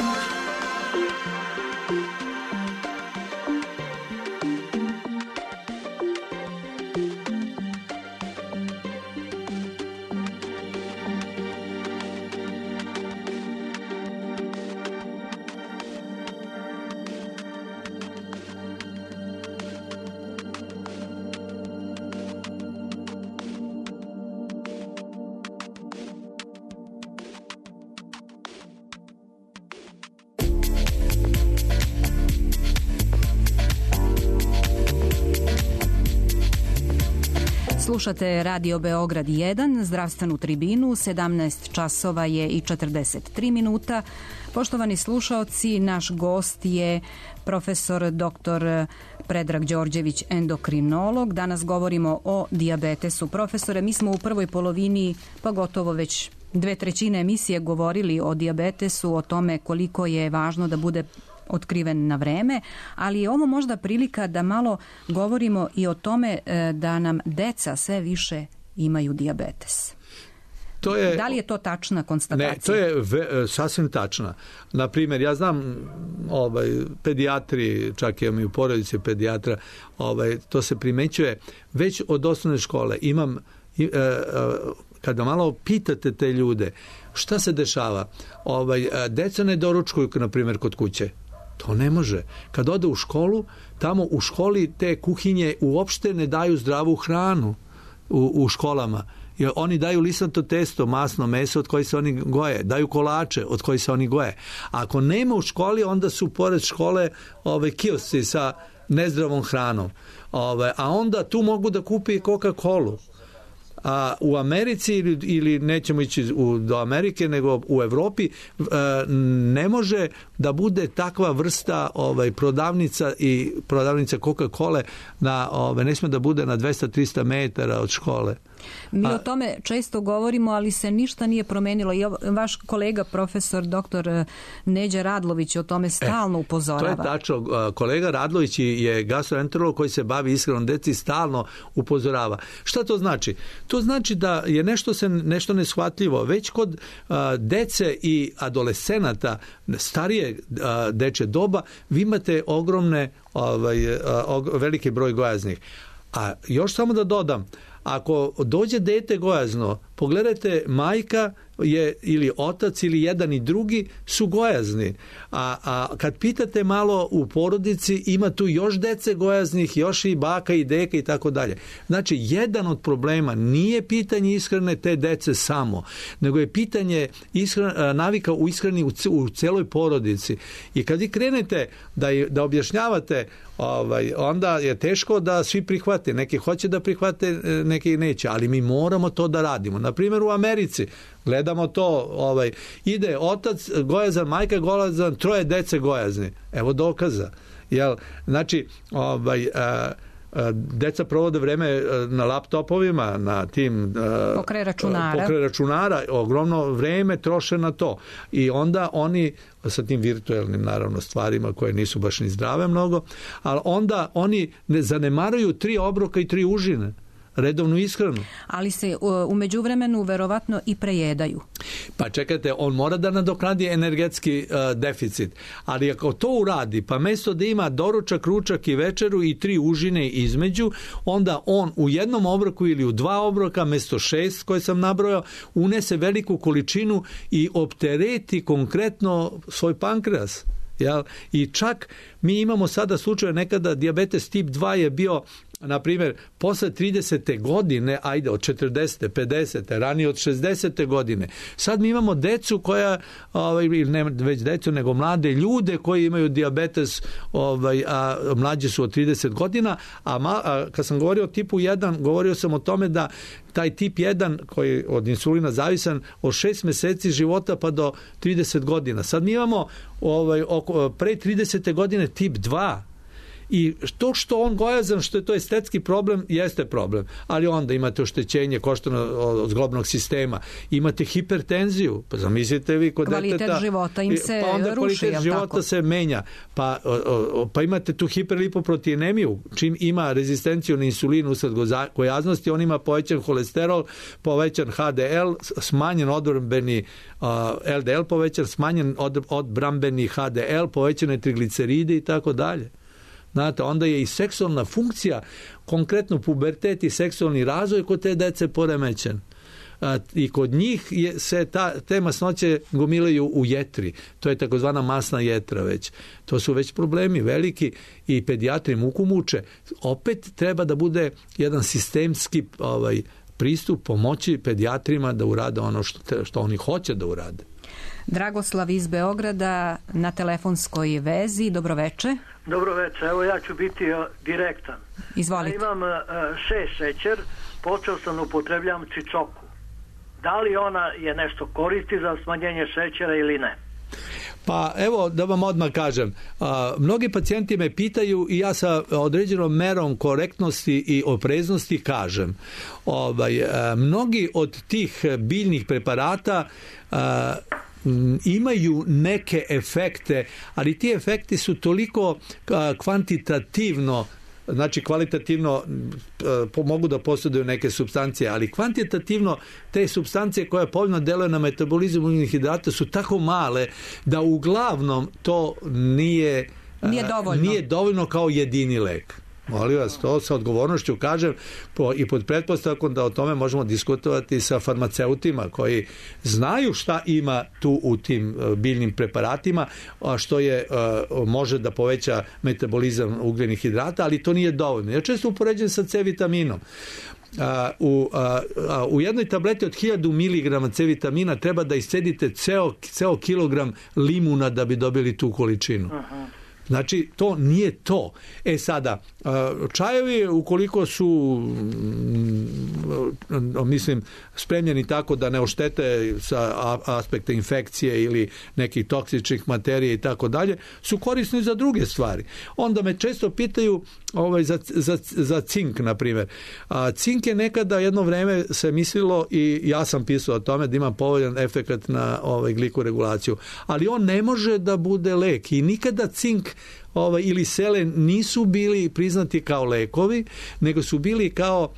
Slušate Radio Beograd 1, zdravstvenu tribinu, 17 časova je i 43 minuta. Poštovani slušaoci, naš gost je profesor dr. Predrag Đorđević, endokrinolog. Danas govorimo o dijabetesu. Profesore, mi smo u prvoj polovini, pa gotovo već 2/3 emisije govorili o dijabetesu, o tome koliko je važno da bude otkriven na vreme, ali je ovo možda prilika da malo govorimo i o tome da nam deca sve više imaju dijabetes. Da li je to tačna konstatacija? Ne, to je sasvim tačna. Naprimjer, ja znam pedijatri, čak imam i u porodici pedijatra, to se primećuje već od osnovne škole. Kada malo pitate te ljude šta se dešava, deca ne doručkuju, na primjer, kod kuće. To ne može. Kad ode u školu, tamo u školi te kuhinje uopšte ne daju zdravu hranu. u školama. Jer oni daju lisato testo, masno meso od koje se oni goje, daju kolače od kojih se oni goje. Ako nema u školi, onda su pored škole kiosci sa nezdravom hranom. A onda tu mogu da kupi i Coca-Colu. A u Americi ili nećemo ići do Amerike, nego u Evropi ne može da bude takva vrsta prodavnica i prodavnica Coca-Cole ne smije da bude na 200-300 metara od škole. Mi o tome često govorimo, ali se ništa nije promenilo. I vaš kolega, profesor dr. Neđa Radlović, o tome stalno upozorava. To je tačno. Kolega Radlović je gastroenterolog koji se bavi ishranom deci, stalno upozorava. Šta to znači? To znači da je nešto neshvatljivo. Već kod dece i adolescenata starije dečje doba vi imate ogromne veliki broj gojaznih. A još samo da dodam, ako dođe dete gojazno, pogledajte, majka je ili otac ili jedan i drugi su gojazni. A kad pitate malo u porodici, ima tu još dece gojaznih, još i baka i deka i tako dalje. Znači, jedan od problema nije pitanje ishrane te dece samo, nego je pitanje navika u ishrani u celoj porodici. I kad vi krenete da objašnjavate, onda je teško da svi prihvate. Neki hoće da prihvate, neki neće, ali mi moramo to da radimo. Na primjer, u Americi gledamo to, ide otac gojazan, majka gojazan, 3 dece gojazni. Evo dokaza. Znači, deca provode vreme na laptopovima, na tim pokraj računara, ogromno vreme troše na to. I onda oni sa tim virtuelnim, naravno, stvarima koje nisu baš ni zdrave mnogo, ali onda oni ne zanemaruju 3 obroka i 3 užine, redovnu ishranu. Ali se u međuvremenu verovatno i prejedaju. Pa čekajte, on mora da nadoknadi energetski deficit. Ali ako to uradi, pa mesto da ima doručak, ručak i večeru i 3 užine između, onda on u jednom obroku ili u 2 obroka, mesto 6 koje sam nabrojao, unese veliku količinu i optereti konkretno svoj pankreas. I čak mi imamo sada slučaje, nekada dijabetes tip 2 je bio, na primjer, posle 30. godine, ajde, od 40. 50. ranije od 60. godine. Sad mi imamo decu koja, ne već decu, nego mlade ljude koji imaju dijabetes, a mlađi su od 30 godina, a kad sam govorio o tipu 1, govorio sam o tome da taj tip 1 koji je od insulina zavisan od 6 meseci života pa do 30 godina. Sad mi imamo pre 30. godine tip 2. I to što on gojazan, što je to estetski problem, jeste problem. Ali onda imate oštećenje koštano-zglobnog sistema, imate hipertenziju, pa zamislite vi kod deteta... Kvalitet života im se pa onda ruši, kvalitet života se menja. Pa imate tu hiperlipoproteinemiju, čim ima rezistenciju na insulin usled gojaznosti, on ima povećan holesterol, povećan HDL, smanjen odbrambeni LDL, povećan, smanjen odbrambeni HDL, povećane trigliceride i tako dalje. Znate, onda je i seksualna funkcija, konkretno pubertet i seksualni razvoj kod te dece poremećen. I kod njih se te masnoće gomilaju u jetri. To je takozvana masna jetra već. To su već problemi veliki i pedijatri muku muče. Opet treba da bude jedan sistemski pristup pomoći pedijatrima da urade ono što oni hoće da urade. Dragoslav iz Beograda na telefonskoj vezi. Dobroveče. Dobroveče, evo ja ću biti direktan. Izvolite. Ja imam 6 šećer, počeo sam upotrebljavam čičoku. Da li ona je nešto koristi za smanjenje šećera ili ne? Pa evo da vam odmah kažem, mnogi pacijenti me pitaju i ja sa određenom merom korektnosti i opreznosti kažem. Mnogi od tih biljnih preparata imaju neke efekte, ali ti efekti su toliko kvantitativno, znači kvalitativno mogu da posjeduju neke supstancije, ali kvantitativno te supstancije koje povoljno deluju na metabolizam ugljenih hidrata su tako male da uglavnom to nije dovoljno kao jedini lek. Molim vas, to sa odgovornošću kažem i pod pretpostavkom da o tome možemo diskutovati sa farmaceutima koji znaju šta ima tu u tim biljnim preparatima, a što može da poveća metabolizam ugljenih hidrata, ali to nije dovoljno. Ja često upoređujem sa C vitaminom. u jednoj tableti od 1000 mg C vitamina treba da iscedite ceo kilogram limuna da bi dobili tu količinu. Znači, to nije to. Sada, čajevi, ukoliko su mislim, spremljeni tako da ne oštete sa aspekta infekcije ili nekih toksičnih materija i tako dalje, su korisni za druge stvari. Onda me često pitaju za cink, na primjer. Cink je nekada jedno vreme se mislilo, i ja sam pisao o tome, da ima povoljan efekat na glikoregulaciju. Ali on ne može da bude lek i nikada cink ili selen nisu bili priznati kao lekovi, nego su bili kao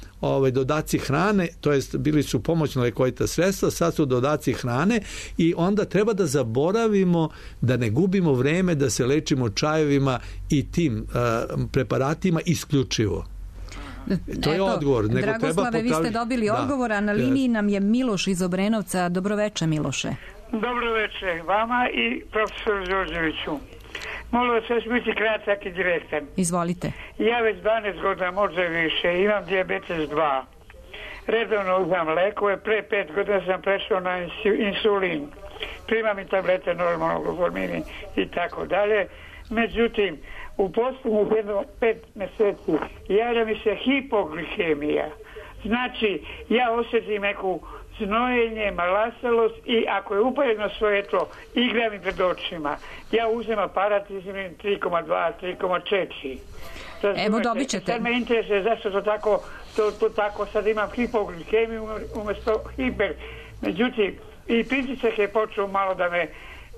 dodaci hrane, to jest bili su pomoćno lekovita sredstva, sad su dodaci hrane i onda treba da zaboravimo da ne gubimo vreme da se lečimo čajevima i tim preparatima isključivo. To je odgovor. Dragoslave, vi ste dobili odgovor, a na liniji nam je Miloš iz Obrenovca. Dobroveče, Miloše. Dobroveče vama i profesoru Đorđeviću. Molim vas, još biti kratak i direktan. Izvolite. Ja već 12 godina, možda više, imam dijabetes 2. Redovno uzmam lekove, pre 5 godina sam prešao na insulin. Primam i tablete normalno, Gloformini i tako dalje. Međutim, u posljednjih 5 meseci javlja mi se hipoglikemija. Znači, ja osjetim neku znojenje, malasalost i ako je upaljeno svoje tlo, igra mi pred očima. Ja uzem aparat, izmim 3,2, 3,4. Evo, dobit ćete. Sad me interesuje zašto to tako, sad imam hipoglikemiju umjesto hiper. Međutim, i pritisak je počeo malo da me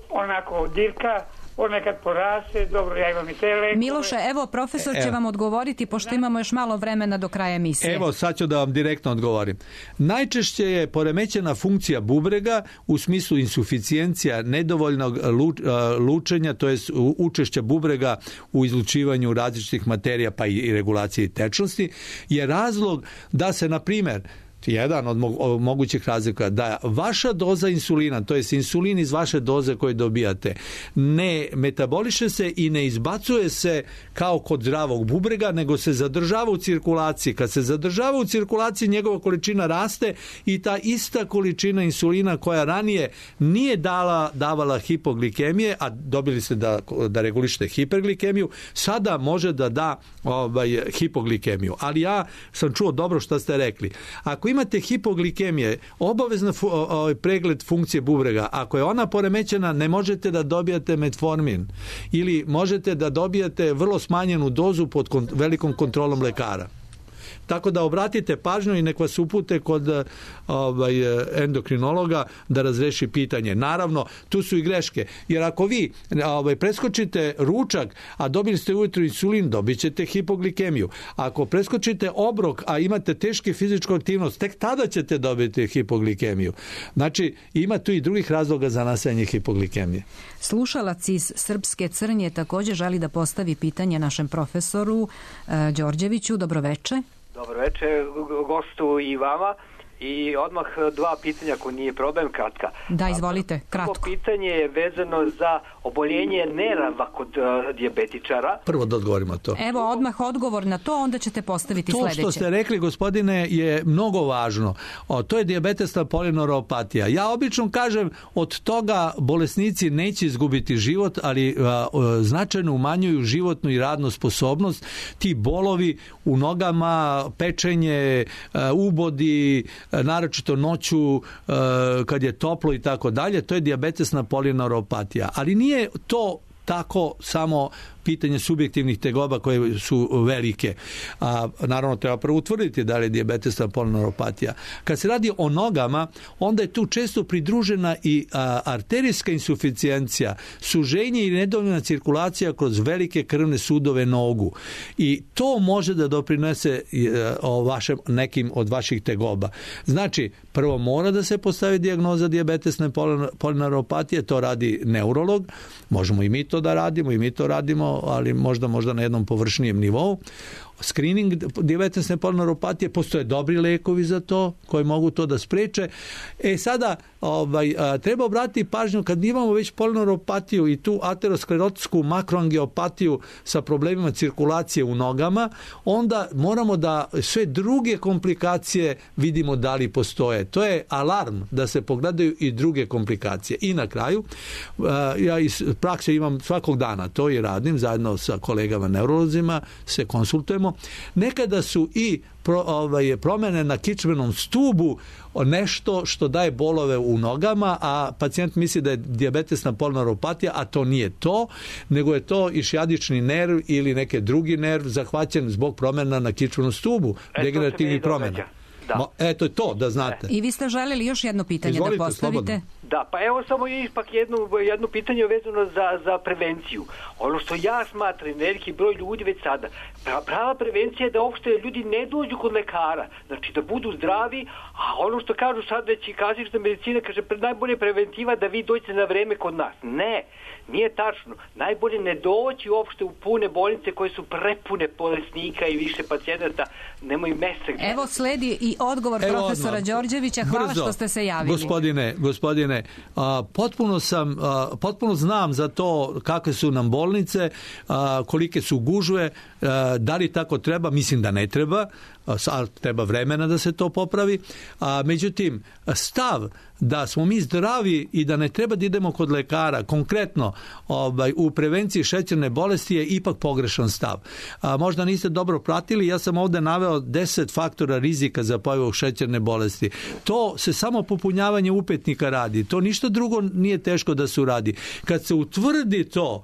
onako dirka, on nekad porase, dobro, ja imam i te lekove. Miloše, evo, profesor će vam odgovoriti, pošto imamo još malo vremena do kraja emisije. Evo, sad ću da vam direktno odgovorim. Najčešće je poremećena funkcija bubrega u smislu insuficijencija nedovoljnog lučenja, to jest učešća bubrega u izlučivanju različitih materija, pa i regulaciji tečnosti, je razlog da se, na primjer, jedan od mogućih razlika, da vaša doza insulina, to jest insulin iz vaše doze koje dobijate, ne metaboliše se i ne izbacuje se kao kod zdravog bubrega, nego se zadržava u cirkulaciji. Kad se zadržava u cirkulaciji, njegova količina raste i ta ista količina insulina koja ranije nije davala hipoglikemije, a dobili ste da regulišete hiperglikemiju, sada može da da hipoglikemiju. Ali ja sam čuo dobro što ste rekli. Ako imate hipoglikemije, obavezno pregled funkcije bubrega. Ako je ona poremećena, ne možete da dobijate metformin ili možete da dobijate vrlo smanjenu dozu pod velikom kontrolom lekara. Tako da obratite pažnju i nek vas upute kod endokrinologa da razreši pitanje. Naravno, tu su i greške. Jer ako vi preskočite ručak, a dobili ste ujutro insulin, dobit ćete hipoglikemiju. Ako preskočite obrok, a imate teške fizičku aktivnost, tek tada ćete dobiti hipoglikemiju. Znači, ima tu i drugih razloga za nastajanje hipoglikemije. Slušalac iz Srpske Crnje također želi da postavi pitanje našem profesoru Đorđeviću. Dobroveče. Dobroveče gostu i vama. I odmah 2 pitanja, ako nije problem, kratka. Da, izvolite, kratko. Prvo pitanje je vezano za oboljenje nerava kod dijabetičara. Prvo da odgovorimo to. Evo, odmah odgovor na to, onda ćete postaviti sledeće. To što ste rekli, gospodine, je mnogo važno. To je dijabetesna polineuropatija. Ja obično kažem, od toga bolesnici neće izgubiti život, ali značajno umanjuju životnu i radnu sposobnost. Ti bolovi u nogama, pečenje, ubodi, naročito noću kad je toplo i tako dalje, to je dijabetesna polineuropatija. Ali nije to tako samo pitanje subjektivnih tegoba koje su velike. Naravno, treba prvo utvrditi da li je dijabetesna polineuropatija. Kad se radi o nogama, onda je tu često pridružena i arterijska insuficijencija, suženje i nedovoljna cirkulacija kroz velike krvne sudove nogu. I to može da doprinese nekim od vaših tegoba. Znači, prvo mora da se postavi dijagnoza dijabetesne polineuropatije, to radi neurolog, možemo i mi to da radimo, ali možda na jednom površnijem nivou. screening dijabetesne polneuropatije, postoje dobri lekovi za to koji mogu to da spreče. Sada treba obratiti pažnju kad imamo već polneuropatiju i tu aterosklerotsku makroangiopatiju sa problemima cirkulacije u nogama, onda moramo da sve druge komplikacije vidimo da li postoje. To je alarm da se pogledaju i druge komplikacije. I na kraju, ja iz prakse imam svakog dana, to i radim, zajedno sa kolegama neurolozima se konsultujemo. Nekada su i promjene na kičmenom stubu nešto što daje bolove u nogama, a pacijent misli da je dijabetesna polneuropatija, a to nije to, nego je to išijadični nerv ili neki drugi nerv zahvaćen zbog promjena na kičmenom stubu, degenerativnih promjena. Da. Eto je to, da znate. I vi ste željeli još jedno pitanje Izvolite, da postavite? Slobodno. Da, pa evo samo ipak jedno pitanje vezano za prevenciju. Ono što ja smatram, veliki broj ljudi već sada, prava prevencija je da uopšte ljudi ne dođu kod lekara, znači da budu zdravi, a ono što kažu sad već i klasična medicina, kaže najbolje preventiva da vi dođete na vreme kod nas. Ne, nije tačno. Najbolje ne doći uopšte u pune bolnice koje su prepune bolesnika i više pacijenata, nemaju mesta. Evo sledi i odgovor profesora Đorđevića. Hvala brzo, što ste se javili. Gospodine, potpuno znam za to kakve su nam bolnice, kolike su gužve, da li tako treba, mislim da ne treba, ali treba vremena da se to popravi. Međutim, stav da smo mi zdravi i da ne treba da idemo kod lekara, konkretno u prevenciji šećerne bolesti je ipak pogrešan stav. Možda niste dobro pratili, ja sam ovdje naveo 10 faktora rizika za pojavu šećerne bolesti. To se samo popunjavanje upetnika radi, to ništa drugo nije teško da se uradi. Kad se utvrdi to,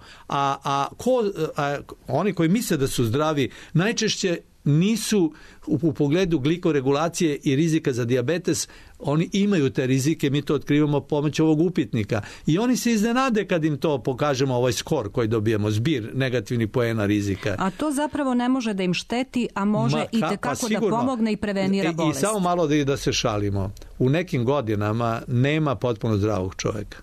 oni koji misle da su zdravi, najčešće nisu u pogledu glikoregulacije i rizika za dijabetes, oni imaju te rizike, mi to otkrivamo pomoću ovog upitnika. I oni se iznenade kad im to pokažemo, ovaj skor koji dobijemo, zbir negativnih poena rizika. A to zapravo ne može da im šteti, a može i tekako da pomogne i prevenira bolest. I samo malo da se šalimo. U nekim godinama nema potpuno zdravog čovjeka.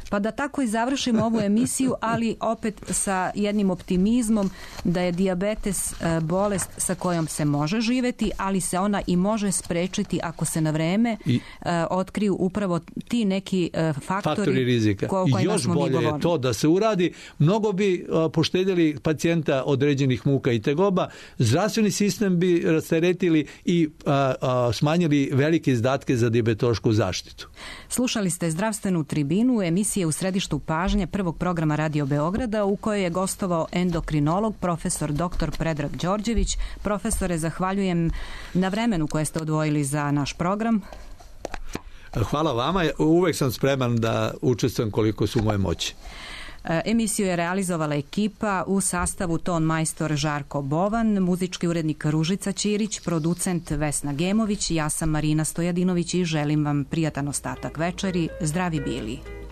Pa da tako i završimo ovu emisiju, ali opet sa jednim optimizmom da je dijabetes bolest sa kojom se može živjeti, ali se ona i može sprečiti ako se na vreme otkriju upravo ti neki faktori rizika. I još bolje je to da se uradi, mnogo bi poštedjeli pacijenta određenih muka i tegoba, zdravstveni sistem bi rasteretili i smanjili velike izdatke za dijabetološku zaštitu. Slušali ste Zdravstvenu tribinu, emisije u središtu pažnje prvog programa Radio Beograda u kojoj je gostovao endokrinolog profesor dr. Predrag Đorđević. Profesore, zahvaljujem na vremenu koje ste odvojili za naš program. Hvala vama, uvek sam spreman da učestvujem koliko su moje moći. Emisiju je realizovala ekipa u sastavu ton majstor Žarko Bovan, muzički urednik Ružica Ćirić, producent Vesna Gemović, ja sam Marina Stojadinović i želim vam prijatan ostatak večeri. Zdravi bili!